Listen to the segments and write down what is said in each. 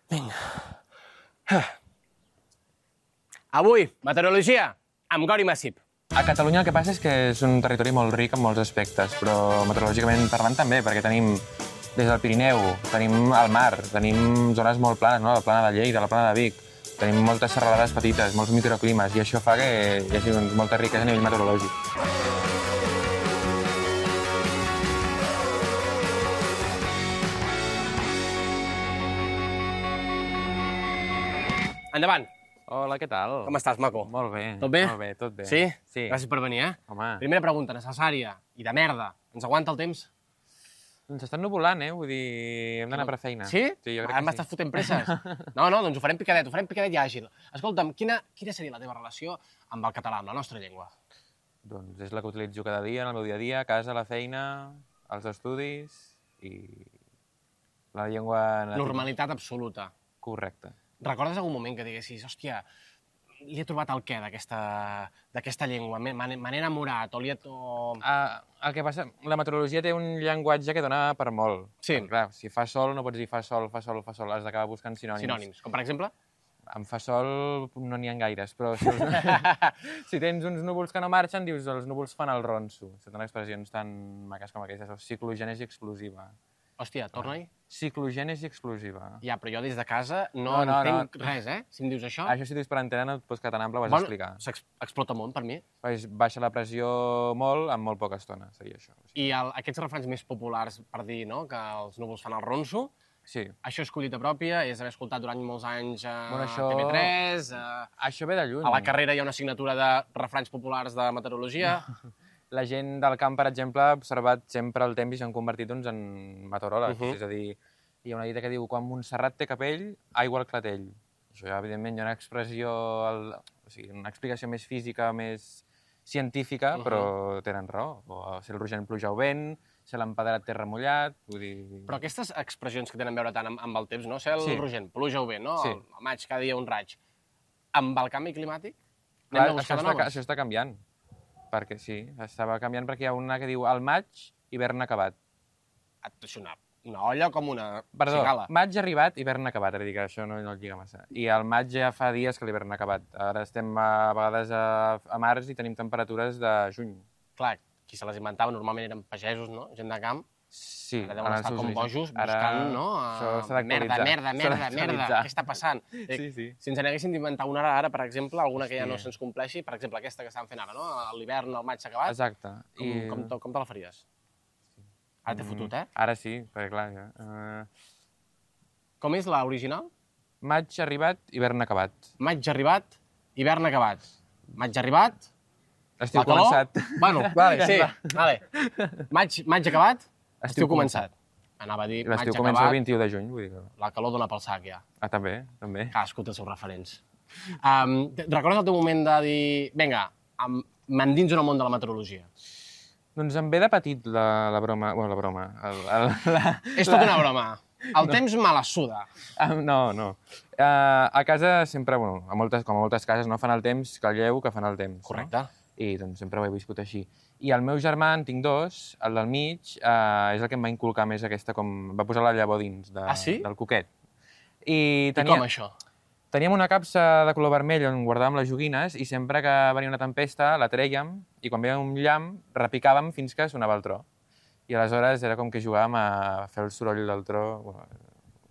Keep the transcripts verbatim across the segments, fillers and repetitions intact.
Vinga. Avui, meteorologia, amb Gori Massip. A Catalunya el que passa és que és un territori molt ric en molts aspectes, però meteorològicament parlant també, perquè tenim des del Pirineu, tenim el mar, tenim zones molt planes, no? La plana de Lleida, la plana de Vic, tenim moltes serralades petites, molts microclimes, i això fa que hi hagi doncs, molta riquesa a nivell meteorològic. Endavant. Hola, què tal? Com estàs, maco? Molt bé. Tot bé? Molt bé, tot bé. Sí? Sí. Gràcies per venir, eh? Home. Primera pregunta, necessària i de merda. Ens aguanta el temps? Ens estan nuvolant, eh? Vull dir, hem d'anar per feina. Sí? Sí, jo crec Ara que m'estàs sí. fotent presses. No, no, doncs ho farem picadet, ho farem picadet i àgil. Escolta'm, quina, quina seria la teva relació amb el català, amb la nostra llengua? Doncs és la que utilitzo cada dia, en el meu dia a dia, a casa, a la feina, als estudis i la llengua... nativa. Normalitat absoluta. Correcte. Recordes algun moment que diguessis, hòstia, li he trobat el què d'aquesta llengua? Me n'he enamorat o li he... O... Uh, el que passa, la meteorologia té un llenguatge que dona per molt. Sí. Perquè, clar, si fa sol no pots dir fa sol, fa sol, fa sol, has d'acabar buscant sinònims. Sinònims, com per exemple? Amb fa sol no n'hi ha gaires, però si, els... si tens uns núvols que no marxen, dius els núvols fan el ronso. Són expressions tan maques com aquestes, o ciclogènesi explosiva. Hòstia, torna-hi. Ciclogènesi explosiva. Ja, però jo des de casa no, No, no, entenc no. res, eh? Si em dius això... Això si dius per antena no et pots quedar tan ample, ho has Bueno, d'explicar. s'explota molt per mi. Pues baixa la pressió molt en molt poca estona, seria això. I el, aquests refranys més populars per dir no, que els núvols fan el ronso, Sí. això és collita pròpia, és haver escoltat durant molts anys a Bueno, això- T V tres, a, Això ve de lluny. a la carrera hi ha una assignatura de refranys populars de meteorologia. La gent del camp, per exemple, ha observat sempre el temps i s'han convertit doncs, en meteoròlegs. Uh -huh. És a dir, hi ha una dita que diu quan Montserrat té capell, aigua al clatell. Això ja, evidentment, hi ha una expressió, el, o sigui, una explicació més física, més científica, uh -huh. però tenen raó. O si el rogent pluja o vent, si l'empedrat té remullat, vull dir... Però aquestes expressions que tenen a veure tant amb, amb el temps, no? Ser el Sí. rogent, pluja o vent, no? Sí. El, el maig, cada dia un raig. Amb el canvi climàtic, Clar, anem a buscar això, de està, noves? això està canviant. Perquè sí, estava canviant perquè hi ha una que diu al maig, hivern acabat. Això, una, una olla com una Perdó, cigala. maig arribat, hivern acabat, és a dir, que això no, no el lliga massa. I al maig ja fa dies que l'hivern ha acabat. Ara estem a, a vegades a, a març i tenim temperatures de juny. Clar, qui se les inventava normalment eren pagesos, no? Gent de camp. Sí, Ara deuen en els estar seus com orígens. bojos Ara buscant, no? Això s'ha Uh, merda, d'actualitzar. merda, S'ha merda, merda, d'actualitzar. què està passant? Sí, sí. Si ens n'haguessin d'inventar una ara, ara, per exemple, alguna que ja Hòstia. no se'ns compleixi, per exemple, aquesta que estan fent ara, no? A l'hivern, el maig s'ha acabat. Exacte. Com, I... com, te, com te la faries? Ara t'he fotut, eh? Ara sí, perquè clar, ja. Uh, Com és l'original? maig arribat, hivern acabat. Maig arribat, hivern acabat. Maig arribat, Estiu la calor... començat. Bueno, vale, sí, Ja vale. Maig, maig acabat, estiu, Estiu començat. Anava a dir maig L'estiu comença el acabat, vint-i-u de juny, vull dir que... la calor dona pel sac, ja. Ah, també, també. Cadascú té els seus referents. Um, recordes el teu moment de dir, vinga, em- m'endins en el món de la meteorologia? Doncs em ve de petit la, la broma... Bueno, la broma... El, el, la, És tota una broma. El no. temps me la suda. Ah, no, no. Uh, a casa sempre, bueno, a moltes, com a moltes cases, no fan el temps que el lleu que fan el temps. Correcte. No? I doncs sempre ho he viscut així. I el meu germà, en tinc dos, el del mig, uh, és el que em va inculcar més aquesta, com... va posar la llavor dins de, Ah, sí? del coquet. I, I com, això? Teníem una capsa de color vermell on guardàvem les joguines i sempre que venia una tempesta la trèiem i quan veia un llamp repicàvem fins que sonava el tro. I aleshores era com que jugàvem a fer el soroll del tro. Bueno,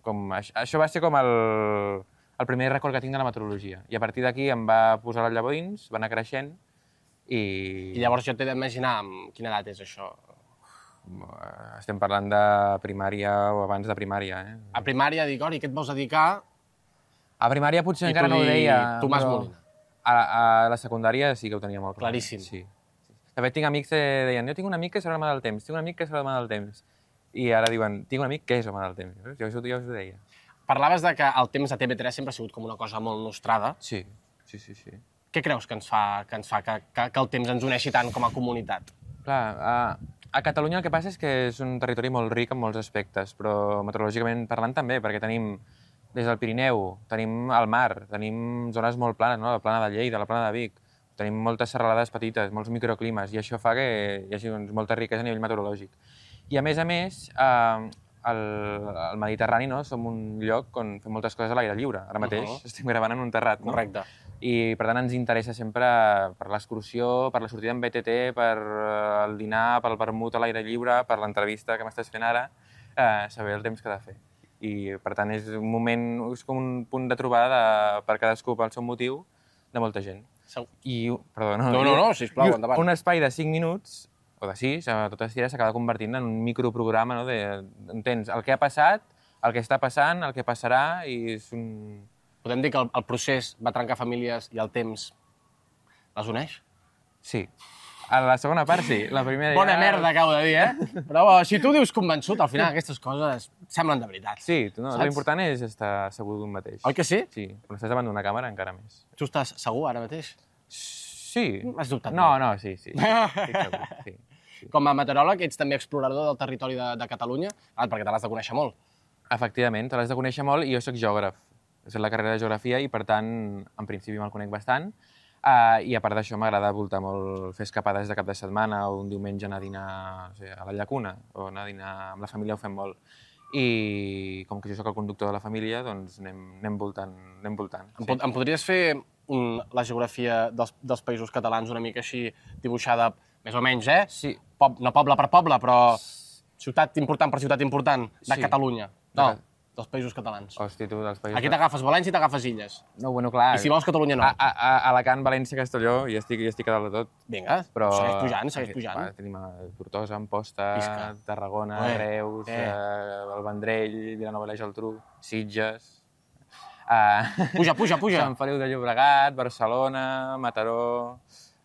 com, això, això va ser com el, el primer record que tinc de la meteorologia. I a partir d'aquí em va posar la llavor dins, va anar creixent i... I llavors jo t'he d'imaginar amb quina edat és això. Estem parlant de primària o abans de primària, eh? A primària dic, Ori, què et vols dedicar? A primària potser I encara tu no ho dir, deia. Tomàs però Molina. A, a la secundària sí que ho tenia molt clar. Claríssim. Sí. De fet, tinc amics que deien, jo tinc un amic que serà l'home del temps, tinc un amic que serà l'home del temps. I ara diuen, tinc un amic que és home del temps. Jo, jo, jo us ho deia. Parlaves de que el temps a T V tres sempre ha sigut com una cosa molt nostrada. Sí, sí, sí. sí. Què creus que ens fa que, ens fa que, que, que el temps ens uneixi tant com a comunitat? Clar, a, a Catalunya el que passa és que és un territori molt ric en molts aspectes, però meteorològicament parlant també, perquè tenim des del Pirineu, tenim el mar, tenim zones molt planes, no? La plana de Lleida, la plana de Vic, tenim moltes serralades petites, molts microclimes, i això fa que hi hagi doncs, molta riquesa a nivell meteorològic. I a més a més, eh, al, al Mediterrani, no? Som un lloc on fem moltes coses a l'aire lliure. Ara mateix uh -huh. estem gravant en un terrat, no? Correcte. I, per tant, ens interessa sempre per l'excursió, per la sortida en B T T, per el dinar, pel vermut a l'aire lliure, per l'entrevista que m'estàs fent ara, eh, saber el temps que ha de fer. I, per tant, és un moment, és com un punt de trobada de, per cadascú pel seu motiu de molta gent. I, perdó, no, no, no, no, sisplau, endavant. Un espai de cinc minuts, o de sis, a totes tires, s'acaba convertint en un microprograma, no? De, entens el que ha passat, el que està passant, el que passarà, i és un... Podem dir que el, el procés va trencar famílies i el temps les uneix? Sí. A la segona part, sí. La primera Bona ja... merda, acabo de dir, eh? Però si tu dius convençut, al final aquestes coses semblen de veritat. Sí, no, l'important és estar segur d'un mateix. Oi que sí? Sí, quan estàs davant d'una càmera encara més. Tu estàs segur ara mateix? Sí. Has dubtat No, molt. no, sí, sí. Estic segur, sí. Com a meteoròleg, ets també explorador del territori de, de Catalunya, ah, perquè te l'has de conèixer molt. Efectivament, te l'has de conèixer molt i jo sóc geògraf. He fet la carrera de geografia i, per tant, en principi me'l conec bastant. Uh, I a part d'això m'agrada voltar molt, fer escapades de cap de setmana o un diumenge anar a dinar no sé, a la llacuna o anar a dinar amb la família, ho fem molt. I com que jo sóc el conductor de la família, doncs anem, anem voltant. Anem voltant em, sí. pot, em podries fer un, la geografia dels, dels països catalans una mica així dibuixada, més o menys, eh? Sí. Pob, no poble per poble, però ciutat important per ciutat important de Sí. Catalunya. No, De... dels països catalans. Hosti, tu, dels països... Aquí t'agafes València i t'agafes Illes. No, bueno, clar. I si vols Catalunya no. A, a, a Alacant, València, Castelló, i estic, i estic a dalt de tot. Vinga, Però... segueix pujant, segueix pujant. Va, tenim a Tortosa, Amposta, Visca. Tarragona, Ué, Reus, eh. eh, el Vendrell, Vilanova i la Geltrú, Sitges... Uh, Puja, puja, puja. Sant Feliu de Llobregat, Barcelona, Mataró...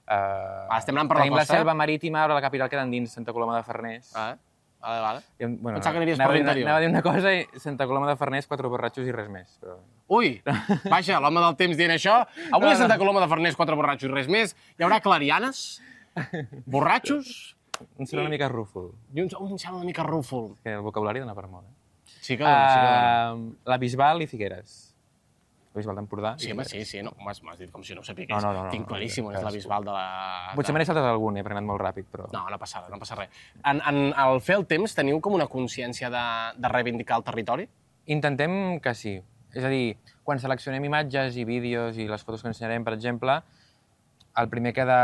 Uh, Ah, estem anant per la tenim costa. la selva marítima, però la capital queda endins, Santa Coloma de Farners. Ah, vale, vale. I, bueno, Pensava que aniries anava per a dir una- l'interior. Anava a dir una cosa i Santa Coloma de Farners, quatre borratxos i res més. Però... Ui, vaja, l'home del temps dient això. Avui a Santa Coloma de Farners, quatre borratxos i res més. Hi haurà clarianes, borratxos Un sona una mica rúfol, i un, un sembla una mica rúfol. que el vocabulari dona per molt. Eh? Sí que dona, sí que dona. Uh, la Bisbal i Figueres. La Bisbal d'Empordà. Sí, i home, Figueres. sí, sí, no, m'has m'has dit com si no ho sapigués. No, no, no, no, Tinc no, claríssim on no, és la cadascú. Bisbal de la... Potser me n'he saltat algun, eh, perquè he anat molt ràpid, però... No, no passa res, no passa res. En, en, al fer el temps teniu com una consciència de, de reivindicar el territori? Intentem que sí. És a dir, quan seleccionem imatges i vídeos i les fotos que ensenyarem, per exemple, el primer que, de,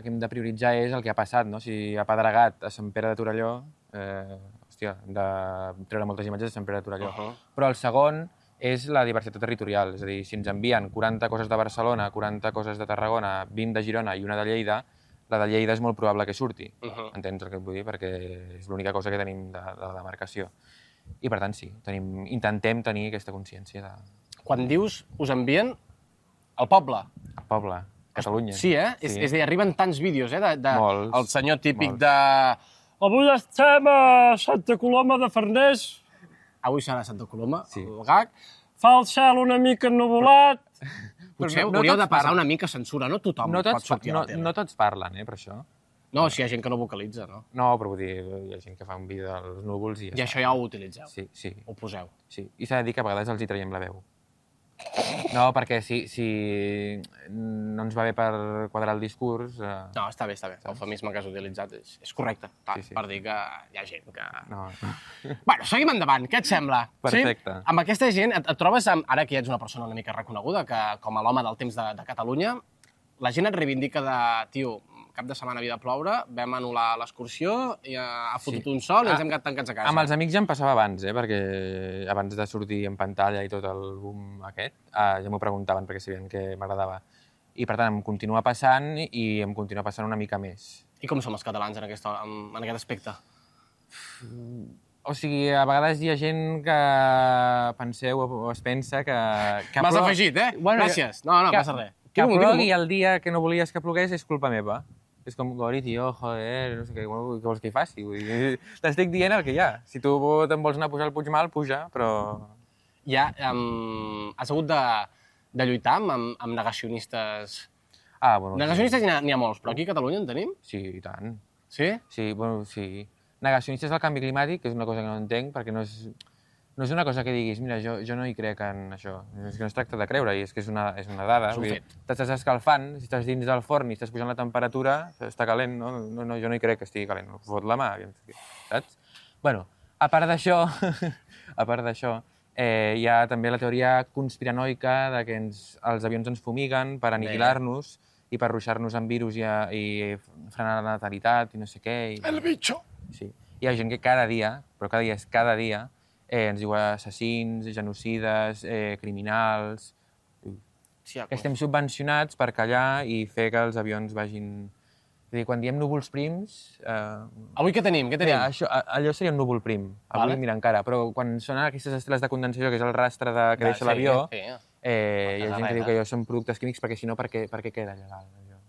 que hem de prioritzar és el que ha passat, no? Si ha pedregat a Sant Pere de Torelló, eh, hòstia, hem de treure moltes imatges de Sant Pere de Torelló. Uh -huh. Però el segon és la diversitat territorial, és a dir, si ens envien quaranta coses de Barcelona, quaranta coses de Tarragona, vint de Girona i una de Lleida, la de Lleida és molt probable que surti. Uh -huh. Entens el que et vull dir? Perquè és l'única cosa que tenim de, de la demarcació. I, per tant, sí, tenim, intentem tenir aquesta consciència de... Quan dius us envien al poble. El poble, Catalunya. Sí, eh? Sí. És, és a dir, arriben tants vídeos, eh? De, de, Molts, el senyor típic molts. de... Avui estem a Santa Coloma de Farners. Avui serà a Santa Coloma, Sí. el gag. Fa el cel una mica ennuvolat. Potser no- no hauríeu tots de passar parlen. una mica censura, no tothom No pot tots, sortir a no, la tele. no tots parlen, eh, per això. No, si hi ha gent que no vocalitza, no? No, però vull dir, hi ha gent que fa un vídeo dels núvols i ja I això ja ho utilitzeu, Sí, sí, ho poseu. sí. I s'ha de dir que a vegades els hi traiem la veu. No, perquè si, si no ens va bé per quadrar el discurs... Eh... No, està bé, està bé. L'eufemisme que has utilitzat és, és correcte, clar, Sí, sí. per dir que hi ha gent que... No. Bueno, seguim endavant, què et sembla? Perfecte. Sí? Amb aquesta gent et, et trobes, amb, ara que ja ets una persona una mica reconeguda, que com a l'home del temps de, de Catalunya, la gent et reivindica de, tio, cap de setmana havia de ploure, vam anul·lar l'excursió, i ha, ha fotut Sí. un sol i ens Ah, hem quedat tancats a casa. Amb els amics ja em passava abans, eh, perquè abans de sortir en pantalla i tot el boom aquest, eh, ja m'ho preguntaven perquè sabien que m'agradava. I per tant em continua passant i em continua passant una mica més. I com som els catalans en, aquesta, en, en aquest aspecte? O sigui, a vegades hi ha gent que penseu o es pensa que... que M'has plou- afegit, eh? Bueno, Gràcies. No, no, que, passa res. Que Digue-m'ho, plogui digue-m'ho. el dia que no volies que plogués és culpa meva. És com, Gori, tio, joder, no sé què, bueno, què vols que hi faci? Vull dir, t'estic dient el que hi ha. Si tu te'n vols anar a pujar al Puigmal, puja, però... Ja, um, has hagut de, de lluitar amb, amb, amb negacionistes... Ah, bueno, Negacionistes n'hi ha, n'hi ha molts, però aquí a Catalunya en tenim? Sí, i tant. Sí? Sí, bueno, sí. Negacionistes del canvi climàtic, que és una cosa que no entenc, perquè no és, no és una cosa que diguis, mira, jo, jo no hi crec en això. És que no es tracta de creure, i és que és una, és una dada. És un Vull dir, fet. t'estàs escalfant, si estàs dins del forn i estàs pujant la temperatura, està calent, no? No, no jo no hi crec que estigui calent. Fot la mà, saps? Bueno, A part d'això, a part d'això, eh, hi ha també la teoria conspiranoica de que ens, els avions ens fumiguen per aniquilar-nos i per ruixar-nos amb virus i, a, i frenar la natalitat i no sé què. I... El bitxo! Sí. Hi ha gent que cada dia, però cada dia és cada dia, eh, ens diu assassins, genocides, eh, criminals... Sí, que estem subvencionats per callar i fer que els avions vagin... És a dir, quan diem núvols prims... Eh... Avui què tenim? Què tenim? Mira, això, allò seria un núvol prim. Avui, vale. mira, encara. Però quan sonen aquestes estreles de condensació, que és el rastre de, que deixa sí, l'avió, sí. eh, hi ha gent que diu que allò són productes químics, perquè si no, per què, per què queda allà dalt? Allò?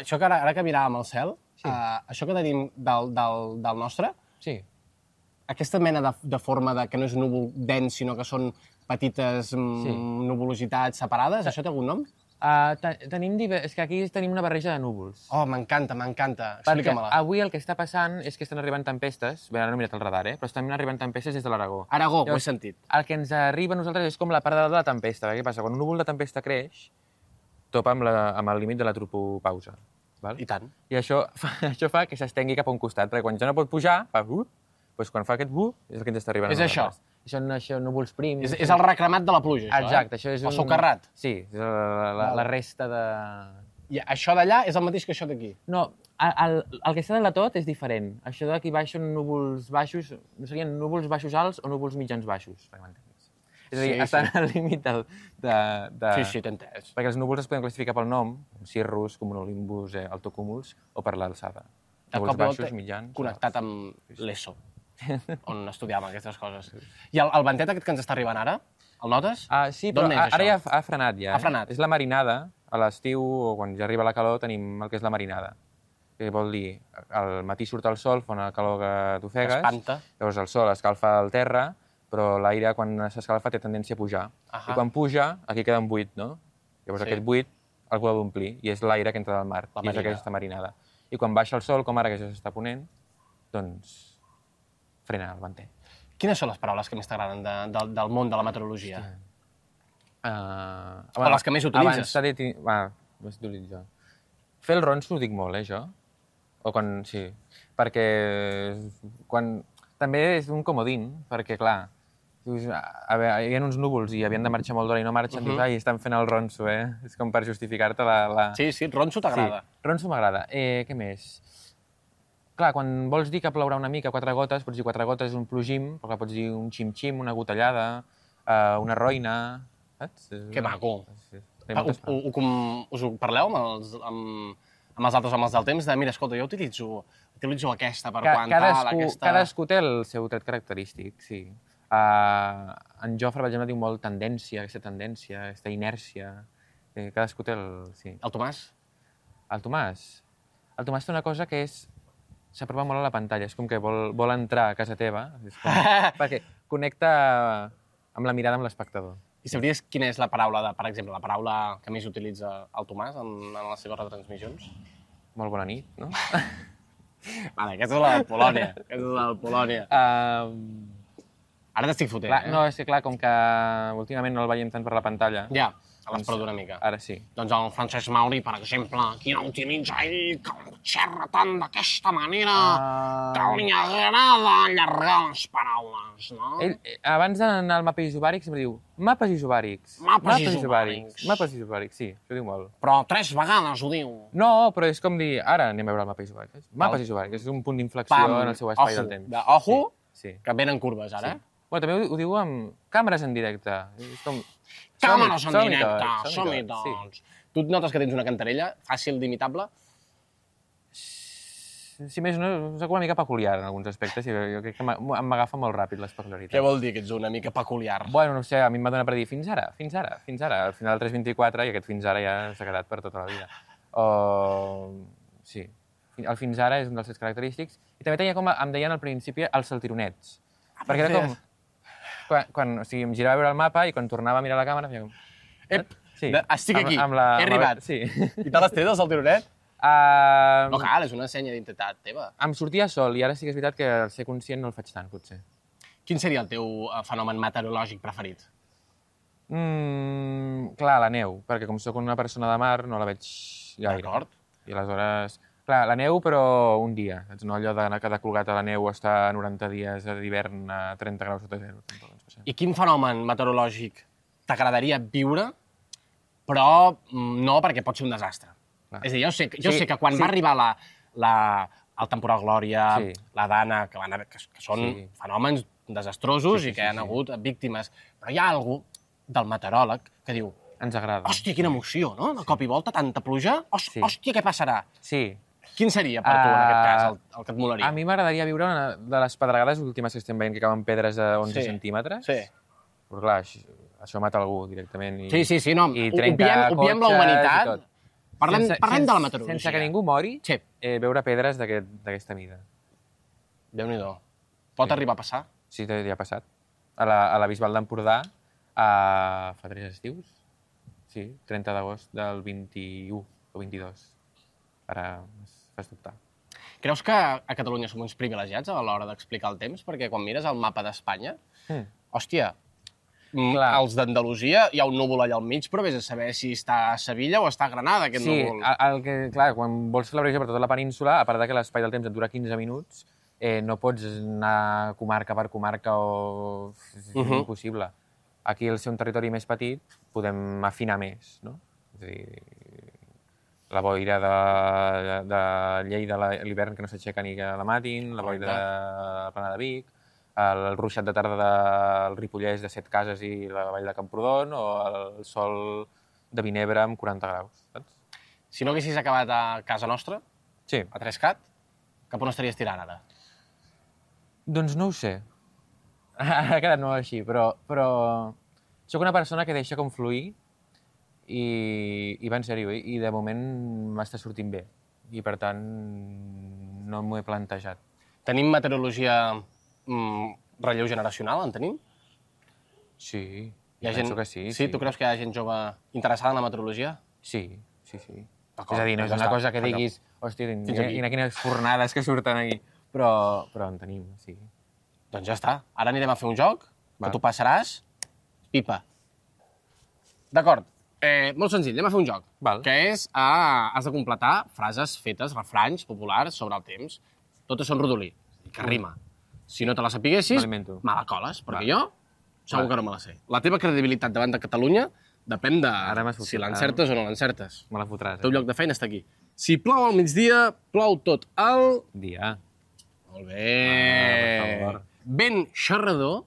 Això que ara, ara que miràvem el cel, Sí. uh, això que tenim del, del, del nostre, Sí. aquesta mena de, de forma de que no és núvol dens, sinó que són petites mm, Sí. nuvolositats separades, això té algun nom? Uh, te tenim diver... És que aquí tenim una barreja de núvols. Oh, m'encanta, m'encanta. Perquè Explica-me-la. avui el que està passant és que estan arribant tempestes, bé, ara no he mirat el radar, eh? Però estan arribant tempestes des de l'Aragó. Aragó, ho he Llavors, sentit. El que ens arriba a nosaltres és com la part de dalt de la tempesta. Què passa? Quan un núvol de tempesta creix, topa amb, la, amb el límit de la tropopausa. Val? I tant. I això fa, això fa que s'estengui cap a un costat, perquè quan ja no pot pujar, fa uh, doncs quan fa aquest uh, és el que ens està arribant. És a això. nosaltres. Són això, núvols prims. És, és el recremat de la pluja, això, Exacte, eh? això és El un... socarrat. Sí, és la, la, la resta de... I això d'allà és el mateix que això d'aquí. No, el, el, el que està de la tot és diferent. Això d'aquí baix són núvols baixos, no serien núvols baixos alts o núvols mitjans baixos, perquè m'entenguis. És a dir, Sí, estan sí. al límit del, de, de... Sí, sí, t'he entès. Perquè els núvols es poden classificar pel nom, cirrus, cumulonimbus, eh, altocúmuls, o per l'alçada. De Núvols cop i baixos, volta mitjans... connectat amb l'ESO, on estudiàvem aquestes coses. I el, el ventet aquest que ens està arribant ara, el notes? Ah, sí, però D'on és, a- ara això? ja ha, ha frenat, ja. Ha eh? frenat. És la marinada. A l'estiu, o quan ja arriba la calor, tenim el que és la marinada. Que vol dir, al matí surt el sol, fa una calor que t'ofegues. Espanta. Llavors el sol escalfa el terra, però l'aire, quan s'escalfa, té tendència a pujar. Ahà. I quan puja, aquí queda un buit, no? Llavors Sí. aquest buit algú l'ha d'omplir, i és l'aire que entra del mar, La i és marinada. aquesta marinada. I quan baixa el sol, com ara que ja s'està ponent, doncs frena el venter. Quines són les paraules que més t'agraden de, de, del món de la meteorologia? Uh, O les que més utilitzes. Abans s'ha dit... Va, més d'utilitzar. Fer el ronso ho dic molt, eh, jo? O quan... Sí. Perquè quan... També és un comodín, perquè, clar, dius, a veure, hi ha uns núvols i havien de marxar molt d'hora i no marxen, uh -huh. dius, ai, estan fent el ronso, eh? És com per justificar-te la, la... Sí, sí, ronso t'agrada. Sí, ronso m'agrada. Eh, què més? Clar, quan vols dir que plourà una mica, quatre gotes, pots dir quatre gotes és un plogim, però clar, pots dir un xim-xim, una gotellada, eh, una roina, saps? Que maco. Sí, Ah, ho, ho, ho, com, us ho parleu amb els, amb, amb els altres homes del temps? De, mira, escolta, jo utilitzo, utilitzo aquesta per Ca quan cadascú, tal, aquesta... cadascú té el seu tret característic, sí. Uh, en Jofre, per exemple, diu molt tendència, aquesta tendència, aquesta inèrcia. Eh, cadascú té el... Sí. El Tomàs? El Tomàs? El Tomàs té una cosa que és... S'apropa molt a la pantalla, és com que vol, vol entrar a casa teva, és com, perquè connecta amb la mirada amb l'espectador. I sabries quina és la paraula, de, per exemple, la paraula que més utilitza el Tomàs en, en les seves retransmissions? Molt bona nit, no? Vale, aquesta és la de Polònia. Aquesta és la de Polònia. Uh, Ara t'estic fotent, clar, eh? no, és que clar, com que últimament no el veiem tant per la pantalla, Ja, a l'has perdut una mica. ara sí. Doncs el Francesc Mauri, per exemple, qui no utilitza ell, que xerra tant d'aquesta manera, Uh, que li agrada allargar les paraules, no? Ell, eh, abans d'anar al mapes isobàrics, sempre diu mapes isobàrics. Mapes isobàrics. Mapes isobàrics, sí, això ho diu molt. Però tres vegades ho diu. No, però és com dir, ara anem a veure el mapa isobàric. Mapes isobàrics, és un punt d'inflexió en el seu espai ojo, del temps. de ojo, Sí, sí. que venen curves, ara. Sí. Bueno, també ho, ho diu amb càmeres en directe. És com... Càmeres en som-hi directe, tots, som-hi tots, tots. Tu et notes que tens una cantarella fàcil d'imitable? Sí. Si més no, soc una mica peculiar en alguns aspectes i jo crec que m'a- m'agafa molt ràpid les peculiaritats. Què vol dir que ets una mica peculiar? Bueno, no sé, a mi em va donar per dir fins ara, fins ara, fins ara. Al final del tres vint-i-quatre i aquest fins ara ja s'ha quedat per tota la vida. O... Sí, el fins ara és un dels seus característics. I també tenia com, em deien al principi, els saltironets. Ah, perquè era com... Quan, quan, o sigui, em girava a veure el mapa i quan tornava a mirar la càmera feia com... Ep, Sí, de, estic amb- aquí, amb la- he amb la- arribat. sí. I te l'has tret, el saltironet? Uh, No cal, és una senya d'identitat teva. Em sortia sol i ara sí que és veritat que al ser conscient no el faig tant, potser. Quin seria el teu eh, fenomen meteorològic preferit? Mm, clar, la neu, perquè com sóc una persona de mar no la veig gaire. D'acord. I aleshores Clar, la neu, però un dia. Saps? No allò d'anar cada colgat a la neu estar noranta dies d'hivern a trenta graus sota zero. I quin fenomen meteorològic t'agradaria viure, però no perquè pot ser un desastre? Clar. És a dir, jo sé, jo sí, sé que quan sí. va arribar la, la, el temporal Glòria, sí. la Dana, que, van haver, que, que són sí. fenòmens desastrosos sí, sí, i que sí, hi ha sí. hagut víctimes, però hi ha algú del meteoròleg que diu ens agrada. Hòstia, quina emoció, no? De cop i volta, tanta pluja. Hòstia, sí. hòstia què passarà? Sí. Quin seria per tu, uh, en aquest cas, el, el que et molaria? A mi m'agradaria viure una de les pedregades últimes que estem veient, que cauen pedres de onze sí. centímetres. Sí. Però clar, això, això mata algú directament. I, sí, sí, sí, no, i obviem, obviem la humanitat. Parlem, sense, parlem sense, de la meteorologia. Sense que ningú mori, sí. eh, veure pedres d'aquesta mida. Déu-n'hi-do. Pot sí. arribar a passar? Sí, ja ha passat. A la, a la Bisbal d'Empordà, a... fa tres estius. Sí, trenta d'agost del vint-i-u o vint-i-dos. Ara es fas dubtar. Creus que a Catalunya som uns privilegiats a l'hora d'explicar el temps? Perquè quan mires el mapa d'Espanya, mm. hòstia, clar. Els d'Andalusia hi ha un núvol allà al mig, però vés a saber si està a Sevilla o està a Granada, aquest sí, núvol. Sí, el que, clar, quan vols fer la previsió per tota la península, a part de que l'espai del temps et dura quinze minuts, eh, no pots anar comarca per comarca o... és uh -huh. impossible. Aquí, al ser un territori més petit, podem afinar més, no? És a dir, la boira de, de Lleida a l'hivern que no s'aixeca ni que la matin, la boira de la Plana de Vic, el ruixat de tarda del Ripollès de Set Cases i la vall de Camprodon, o el sol de Vinebre amb quaranta graus, saps? Si no haguessis acabat a casa nostra, sí. a Trescat, cap on estaries tirant ara? Doncs no ho sé. Ha quedat molt així, però, però soc una persona que deixa com fluir i, i va en sèrio, i de moment m'està sortint bé. I, per tant, no m'ho he plantejat. Tenim meteorologia mm, relleu generacional, en tenim? Sí, hi ha penso gent... que sí. Sí, sí, tu creus que hi ha gent jove interessada en la meteorologia? Sí, sí, sí. És a dir, no és una cosa que diguis, hòstia, i quines fornades que surten aquí, però, però en tenim, sí. Doncs ja està. Ara anirem a fer un joc, Va. que tu passaràs pipa. D'acord. Eh, molt senzill, anem a fer un joc, Val. que és, ah, has de completar frases fetes, refranys populars sobre el temps. Totes són rodolí, que rima. Si no te la sapiguessis, me la coles, perquè Va. jo segur Va. que no me la sé. La teva credibilitat davant de Catalunya depèn de si l'encertes o no l'encertes. Me la fotràs. El teu lloc de feina està aquí. Si plou al migdia, plou tot el... dia. Molt bé. Ah, per favor. Vent xerrador,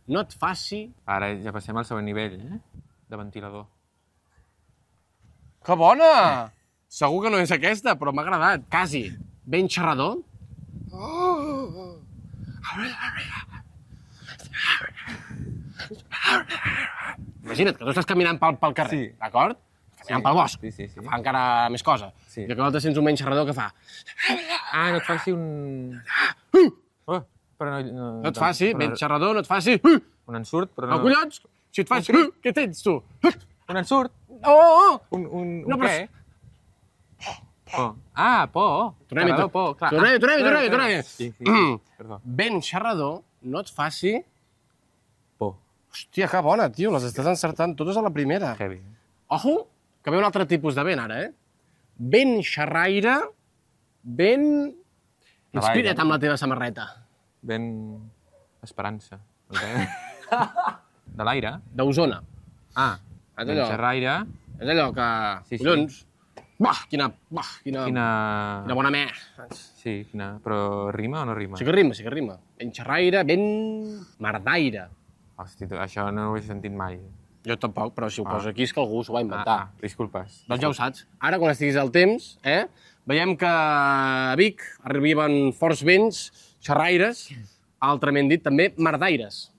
no et faci... Ara ja passem al següent nivell, eh? De ventilador. Que bona! Segur que no és aquesta, però m'ha agradat. Quasi. Vent xerrador. Oh. Imagina't que tu estàs caminant pel, pel carrer, sí. d'acord? Caminant sí. pel bosc, sí, sí, sí. que fa encara més cosa. Sí. I que l'altre sents un vent xerrador que fa... Ah, no et faci un... Oh, però no, no, no et faci, però... vent xerrador, no et faci... Un ensurt, però no... No, collons! Si et faci... Un... Què tens, tu? Un ensurt? Oh, oh, oh! Un, un, no, un què? Por. Ah, por. Tornem-hi, por, clar. Tornem-hi, tornem-hi, tornem-hi, tornem-hi. Sí, sí, sí. Perdó. Vent xerrador, no et faci... Por. Hòstia, que bona, tio, les estàs encertant totes a la primera. Heavy. Ojo, que ve un altre tipus de vent, ara, eh? Vent xerraire, vent... Inspira't amb la teva samarreta. Vent... esperança. De l'aire? D'Osona. Ah, vent xerraire. És allò que... Sí, sí. Collons. Bah, quina... Bah, quina... Quina... Quina bona me. Sí, quina... Però rima o no rima? Sí que rima, sí que rima. Vent xerraire, vent... mardaire. Hosti, això no ho he sentit mai. Jo tampoc, però si ho ah. poso aquí és que algú s'ho va inventar. Ah, ah, disculpes. Doncs ja ho saps. Ara, quan estiguis al temps, eh, veiem que a Vic arriben forts vents, xerraires, altrament dit també mardaires.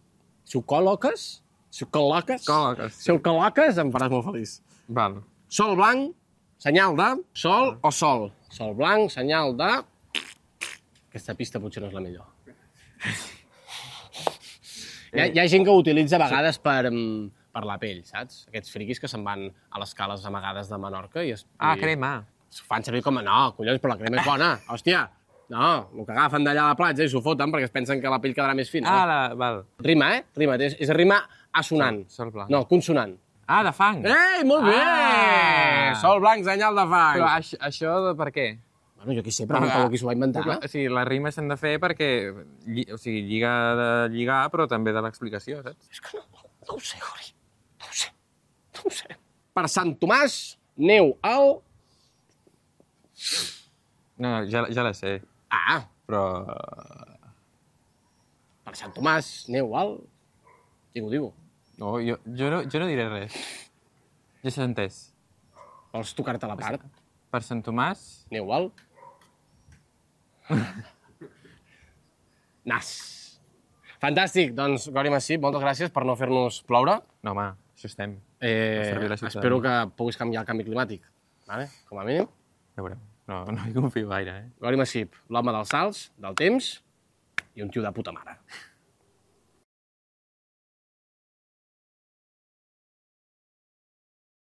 Si ho col·loques, si ho col·loques, col·loques. si ho col·loques, em faràs molt feliç. Val. Sol blanc, senyal de sol o sol. Sol blanc, senyal de... Aquesta pista potser no és la millor. Hi ha, hi ha gent que ho utilitza a vegades per, per la pell, saps? Aquests friquis que se'n van a les cales amagades de Menorca i... Es, ah, i crema. S'ho fan servir com a... No, collons, però la crema és bona. Hòstia, no, el que agafen d'allà a la platja i s'ho foten perquè es pensen que la pell quedarà més fina. Ah, la, val. Rima, eh? Rima. És, és rima assonant. Sol, sol blanc. No, consonant. Ah, de fang. Ei, molt bé! Ah. Sol blanc, senyal de fang. Però això, això per què? Bueno, jo qui sé, pregunta-ho qui s'ho va inventar. O sigui, les rimes s'han de fer perquè, lli- o sigui, lliga de lligar, però també de l'explicació, saps? És que no, no, no ho sé, Gori. No ho sé. No ho sé. Per Sant Tomàs, neu al... No, no, ja, ja la sé, Ah, però... per Sant Tomàs, neu al... Digo, digo. No, jo, jo, no, jo no diré res. Ja s'ha entès. Vols tocar-te la part? Per Sant Tomàs... Neu al... Nas. Fantàstic. Doncs, Gori Massip, moltes gràcies per no fer-nos ploure. No, home, això estem. Eh, servir la ciutadania. espero que puguis canviar el canvi climàtic. Vale? Com a mínim. Ja veurem. No, no hi confio gaire, eh? Gori Massip, l'home dels salts, del temps i un tio de puta mare.